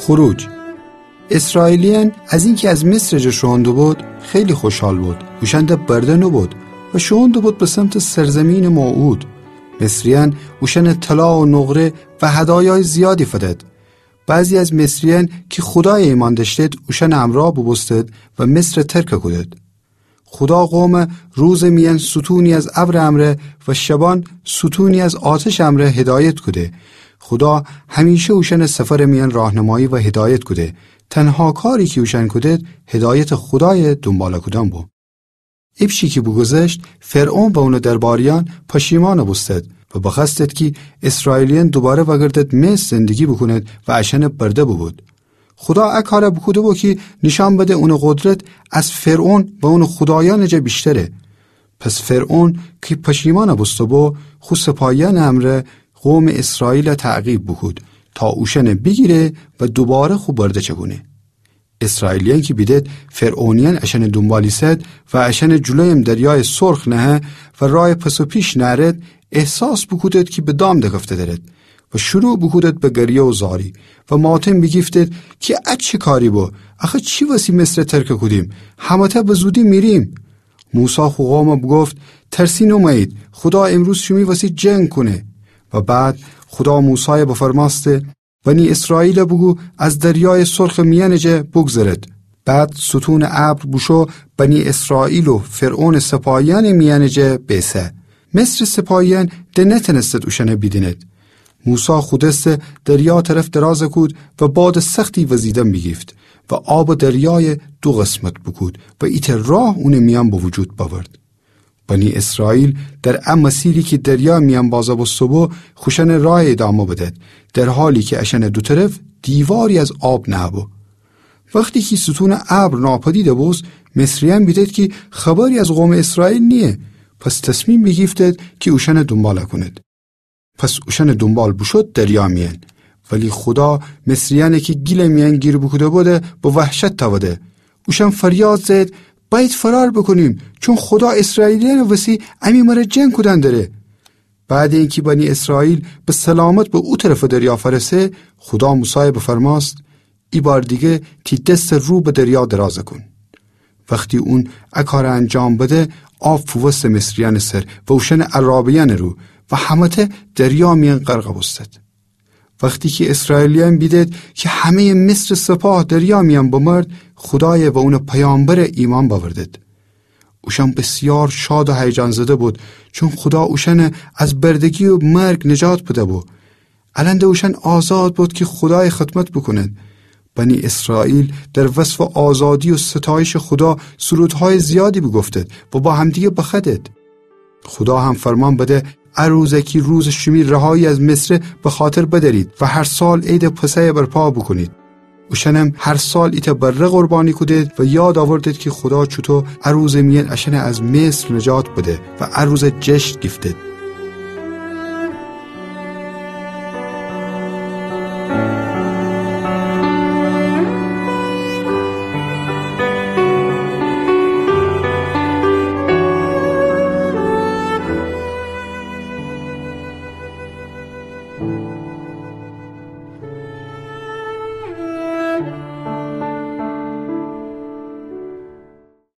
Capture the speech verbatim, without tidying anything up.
خروج. اسرائیلیأن از اینکه از مصر جا شوئون دوبود، خیلی خوشحال بود. اوشأن ده برده نوبود و شوئون دوبود به سمتٚ سرزمینٚ موعود. مصریأن اوشأن طلا و نقره و هدایای زیادی فدد. بعضی از مصریأن کی خودای ایمأن دأشتد، اوشأنٚ امرأ بوبوستد و مصر ترک کودد. خودا قوم روزٚ میأن ستونی از ابرٚ امرأ و شبأن ستونی از آتشٚ امرأ هدایت کوده. خودا همیشه اوشأنٚ سفرٚ میأن راهنمایی و هدایت کوده. تنها کاری کی اوشأن کودد، هدایتٚ خودای دونباله کودن بو. ایپچی کی بوگوذشت، فرعون و اونٚ درباریأن پشیمأن بوستد و بخوأستد کی اسرائیلیأن دوباره وأگردد مصر زندگی بوکوند و اشأن برده بوبود. خودا ا کار بوکوده بو کی نیشأن بده اونٚ قدرت از فرعون و اونٚ خودایأنٚ جا ویشتره. پس فرعون کی پشیمأن بوسته بو، خو سپاهیأنٚ امرأ قومٚ اسرائیل تعقیب بوکود تا اوشأن بیگیره و دوباره خو برده چکونه. اسرائیلیأن کی بیدد فرعونیأن اشأنٚ دونبال ایسد و اشأنٚ جلویم دریایٚ سرخ نهه و رایٚ پس و پیش نأرد، احساس بوکودد کی به دام دکفته درد و شروع بوکودد به گریه و زاری و ماتم بیگیفتد کی ا چی کاری بو؟ آخه چی وسی مصر ترک کودیم؟ همه‌تأ به زودی میریم. موسی خو قوم بوگفت: ترسین اومه‌یید، خودا امروز شیمی وسی جنگ کونه. و بعد خودا موسای بفرمأسته: بنی اسرائیل بوگو از دریایٚ سرخٚ میأنٚ جا بوگذرد. بعد ستونٚ ابر بوشو بنی اسرائیل و فرعونٚ سپاهیأنٚ میأنٚ جا بیسه. مصرٚ سپاهیأن ده نتأنستد اوشأن بیدیند. موسی خو دس دریا طرف دراز کود و بادٚ سختی وزیدن بیگیفت و آبٚ دریای دو قسمت بوکود و ایتأ راه اونٚ میأن به وجود بأورد. بنی اسرائیل در ا مسیری کی دریا میأن بازه بوسته بو، خوشأنٚ رای ادامه بدد، در حالی کی اشأنٚ دو طرف دیواری از آب نهه بو. وختی کی ستونٚ ابر ناپدید بوست، مصریأن بیدد کی خبری از قومٚ اسرائیل نییه، پس تصمیم بیگیفتد کی اوشأن دونبال کونید. پس اوشأنٚ دونبال بوشود دریا میأن. ولی خودا مصریأنی کی گیلٚ میأن گیر بوکوده بوده، به وحشت تأوده. اوشأن فریاد زهد: بأید فرار بوکونیم، چون خودا اسرائیلیأنٚ وسی امی مره جنگ کودن دره. بعدٚ اینکی بنی اسرائیل به سلامت به او طرفٚ دریا فأرسه، خودا موسای بفرمأست: ایبار دیگه تی دس رو به دریا دراز کون. وختی اون ا کار انجام بده، آب فووسته مصریأنٚ سر و اوشأنٚ عرابه‌یأنٚ رو و همه‌تأ دریا میأن غرق بوستد. وختی کی اسرائیلیأن بیدد کی همه‌یٚ مصرٚ سپاه دریا میأن بمرد، خودای و اونٚ پیامبر ایمأن بأوردد. اوشأن بسیار شاد و هیجان زده بود، چون خودا اوشأن از بردگی و مرگ نجات بده بو. الأن ده اوشأن آزاد بود کی خودای خدمت بوکونند. بنی اسرائیل در وصفٚ آزادی و ستایشٚ خودا سرودهای زیادی بوگفتد و با همدیگه بخوأدد. خودا هم فرمان بده: ا روز کی روزٚ شیمی رهایی از مصره بخاطر بدأرید و هر سال عیدٚ پسح برپا بوکونید. اوشأنم هر سال ایتأ بره قربانی کودید و یاد آوردید کی خودا چوطو ا روزٚ میأن اشأن از مصر نجات بده و ا روز جشن گیفتید.